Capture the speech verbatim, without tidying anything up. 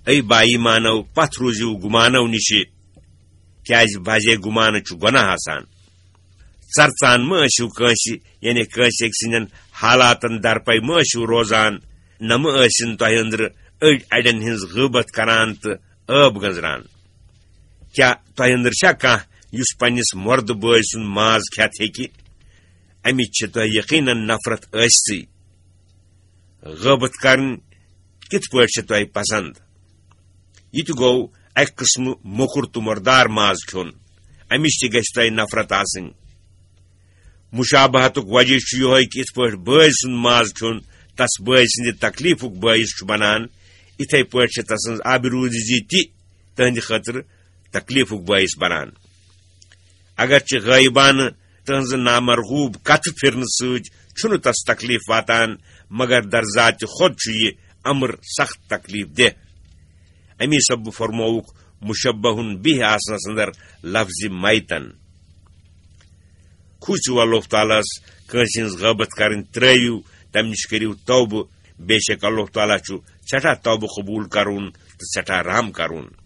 A با ایمانو، پتھ روٗزِو گُمانو نِشہِ، کیازِ بازے گُمانہٕ چھُ گۄناہ آسان۔ ژرژان مہٕ ٲسِو کٲنٛسہِ، یعنی کٲنٛسہِ أکۍ سٕنٛدٮ۪ن حالاتن درپے مہٕ ٲسِو روزان، نہ مہٕ ٲسِن تۄہہِ أنٛدرٕ أڑۍ اَڑٮ۪ن ہٕنٛز غٲبت کران تہٕ عٲب گٔنٛزران۔ کیٛاہ تۄہہِ أنٛدرٕ چھا کانٛہہ یُس پننِس مۄردٕ بٲے سُنٛد ماز کھٮ۪تھ ہیٚکہِ؟ اَمِچ چھِ تۄہہِ یقیناً نفرت ٲسۍسٕے۔ غٲبت کرٕنۍ کِتھ پٲٹھۍ چھِ تۄہہِ پسند؟ یہِ تہِ گوٚو اَکہِ قٕسمہٕ موٚکُر تہٕ مُردار ماز کھیوٚن، اَمِچ تہِ گژھِ تۄہہِ نفرت آسٕنۍ۔ مشابہتُک وجہ چھُ یِہوٚے کہِ یِتھ پٲٹھۍ بٲے سُنٛد ماز کھیوٚن تس بٲے سٕنٛدِ تکلیفُک بٲعث چھُ بنان، یِتھے پٲٹھۍ چھِ تسٕنٛز آبروٗزی تہِ تہنٛدِ خٲطرٕ تکلیفُک بٲعث بنان۔ اگرچہِ غٲیبانہٕ تہنٛزٕ نامرغوب کتھٕ پھرنہٕ سۭتۍ چھُنہٕ تس تکلیف واتان، مگر در ذات خود چھُ یہِ امر سخت تکلیف دہ۔ امی سببہٕ فرمووُکھ مشبہن بہ آسنس اندر لفظ میتن۔ کھوٗژِو اللہ تعالیٰ ہس، کٲنٛسہِ ہٕنٛز غٲبت کرٕنۍ ترٲوِو، تمہِ نِش کٔرِو توبہٕ۔ بے شک اللہ تعالیٰ چھُ سٮ۪ٹھاہ توبہٕ قبوٗل کرُن تہٕ سٮ۪ٹھاہ رحم کرُن۔